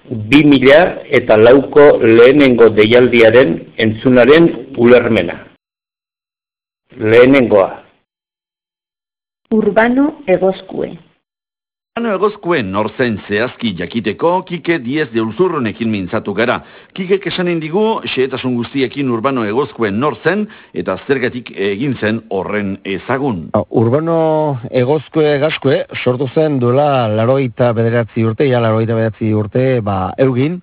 2004ko lehenengo deialdiaren entzunaren ulermena. Lehenengoa. Urbano Egozkue. Urbano Egozkue norzen zehazki jakiteko, Kike Diez de Ulzurronekin mintzatu gara. Kikek esanen digu, xehetasun guztiekin Urbano Egozkue norzen, eta zergatik egin zen horren ezagun. Urbano Egozkue Gazkue sortu zen duela 89 urte, Eugin.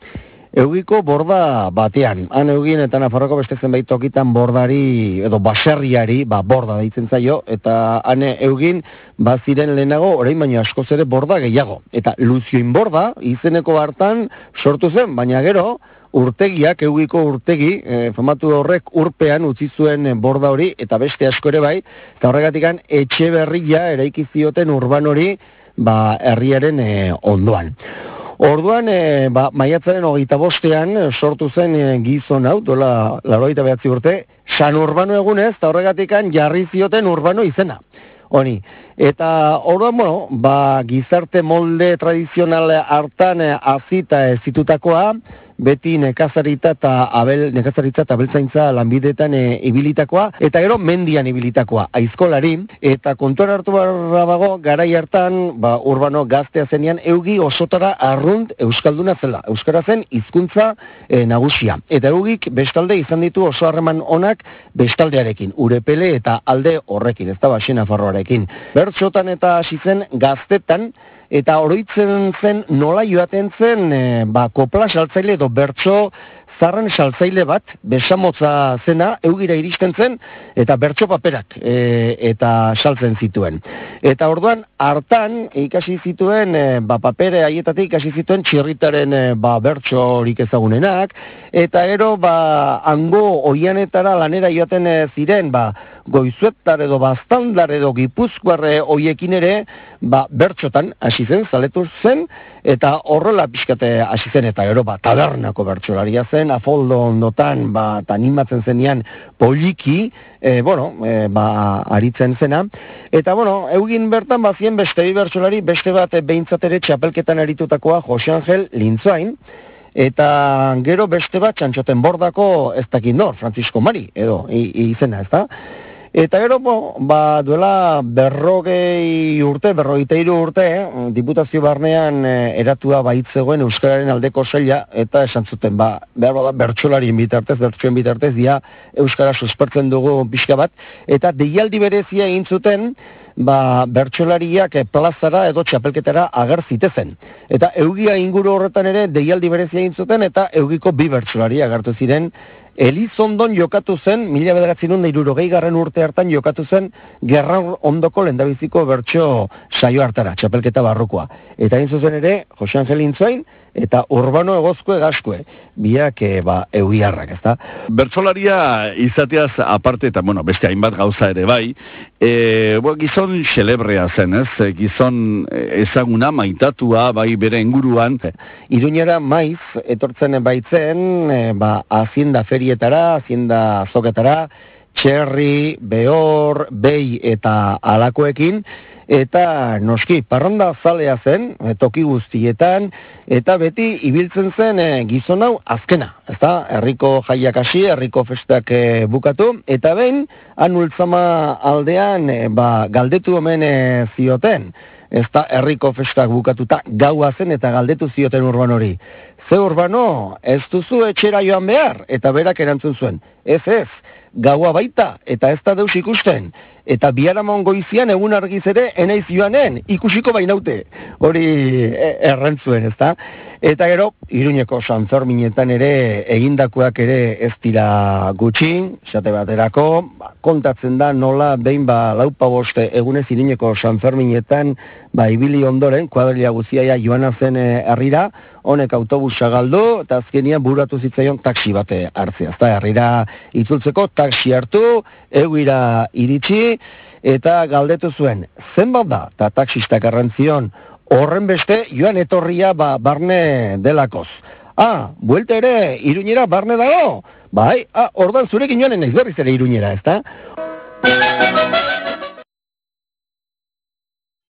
Eugiko borda batean. Han Eugin eta Nafarroko beste zenbait tokitan bordari, edo baserriari, borda deitzen zaio, eta han Eugin baziren lehenago, orain baino askoz ere borda gehiago. Eta Luzioin borda izeneko hartan sortu zen, baina gero, urtegiak, Eugiko urtegi, famatu horrek urpean utzi zuen borda hori, eta beste asko ere bai, eta horregatikan etxe berria eraiki zioten urban hori, herriaren ondoan. Orduan, maiatzaren 25ean sortu zen gizon hau, dola 89 urte, San Urbano egunez, eta horregatikan jarri zioten Urbano izena. Honi. Eta orduan, gizarte molde tradizional hartan azita zitutakoa, beti nekazaritza eta abeltzaintza lanbideetan ibilitakoa, eta gero mendian ibilitakoa, aizkolari, eta kontuan hartu barra dago, garai hartan, Urbano gaztea zenean, Eugi osotara arrunt euskalduna zela, euskara zen hizkuntza nagusia. Eta Eugik bestalde izan ditu oso harreman onak bestaldearekin, Urepele eta alde horrekin, ez da Nafarroarekin. Bertxotan eta hasi zen gaztetan, eta oroitzen zen nola joaten zen kopla saltzaile edo bertso zarren saltzaile bat, besamotza zena, Eugira iristen zen, eta bertso paperak eta saltzen zituen. Eta orduan, hartan ikasi zituen, papere haietatik ikasi zituen txirritaren bertso horik ezagunenak, eta gero, hango oianetara lanera joaten ziren, Goizuetar edo Baztandar edo Gipuzkoarre hoiekin ere, bertxotan hasi zen, zaletu zen, eta horrela pixkate hasi zen, eta gero tabernako bertxolaria zen, afoldo ondotan, eta animatzen zenean poliki, aritzen zena, eta Eugin bertan bazien beste bertxolari, beste bat behintzat ere txapelketan aritutakoa Jose Angel Lintzain, eta gero beste bat txantxoten bordako ez dakit nor, Francisco Mari, edo izena, ez da? Eta gero, duela 40 urte, 43 urte, diputazio barnean eratua baitzegoen euskararen aldeko saila, eta esan zuten, bertsolarien bitartez, dia euskara suspertzen dugu pixka bat, eta deialdi berezia egin zuten, bertsolariak plazara edo txapelketara ager zitezen. Eta Eugia inguru horretan ere deialdi berezia egin zuten, eta Eugiko 2 bertsolari agertu ziren. Elizondon jokatu zen, 1960 urte hartan jokatu zen, Gerra ondoko lehendabiziko bertso saio hartara, txapelketa barrukoa. Eta egin zuzen ere, Jose Angel Lintzain, eta Urbano Egozkue Gazkue, biak eugiarrak, ez da? Bertsolaria izateaz aparte, eta beste hainbat gauza ere bai, gizon xelebrea zen, ez? Gizon ezaguna, maitatua, bai bere inguruan. Iruñera maiz, etortzen baitzen, hazienda ferietara, hazienda azoketara, txerri, behor, behi eta alakoekin, eta noski, parranda zalea zen, toki guztietan, eta beti ibiltzen zen gizon hau azkena, ezta? Herriko jaiak hasi, herriko festak bukatu, eta behin, Ultzama aldean, galdetu omen zioten, ezta herriko festak bukatuta gaua zen eta galdetu zioten Urbano hori. Ze Urbano, ez duzu etxera joan behar, eta berak erantzun zuen, ez, gaua baita, eta ez da deus ikusten. Eta biharamon goizian egun argiz ere enaiz joanen, ikusiko bainaute. Hori errantzuen, ez da? Eta gero, Iruñeko Sanferminetan ere egindakoak ere ez dira gutxi, esate baterako, kontatzen da nola behin 4-5 egunez Iruñeko Sanferminetan ibili ondoren, kuadrilla guzia joana zen herrira, honek autobusa galdu, eta azkenian buratu zitzaion taxi bate hartzea. Ezta herrira itzultzeko taxi hartu, Eugira iritsi, eta galdetu zuen, zenbat da, eta taxistak errantzion, horren beste joan etorria barne delakoz. Buelte ere, Iruñera barne dago? Ordan zurekin joanen naiz berriz ere Iruñera, ezta?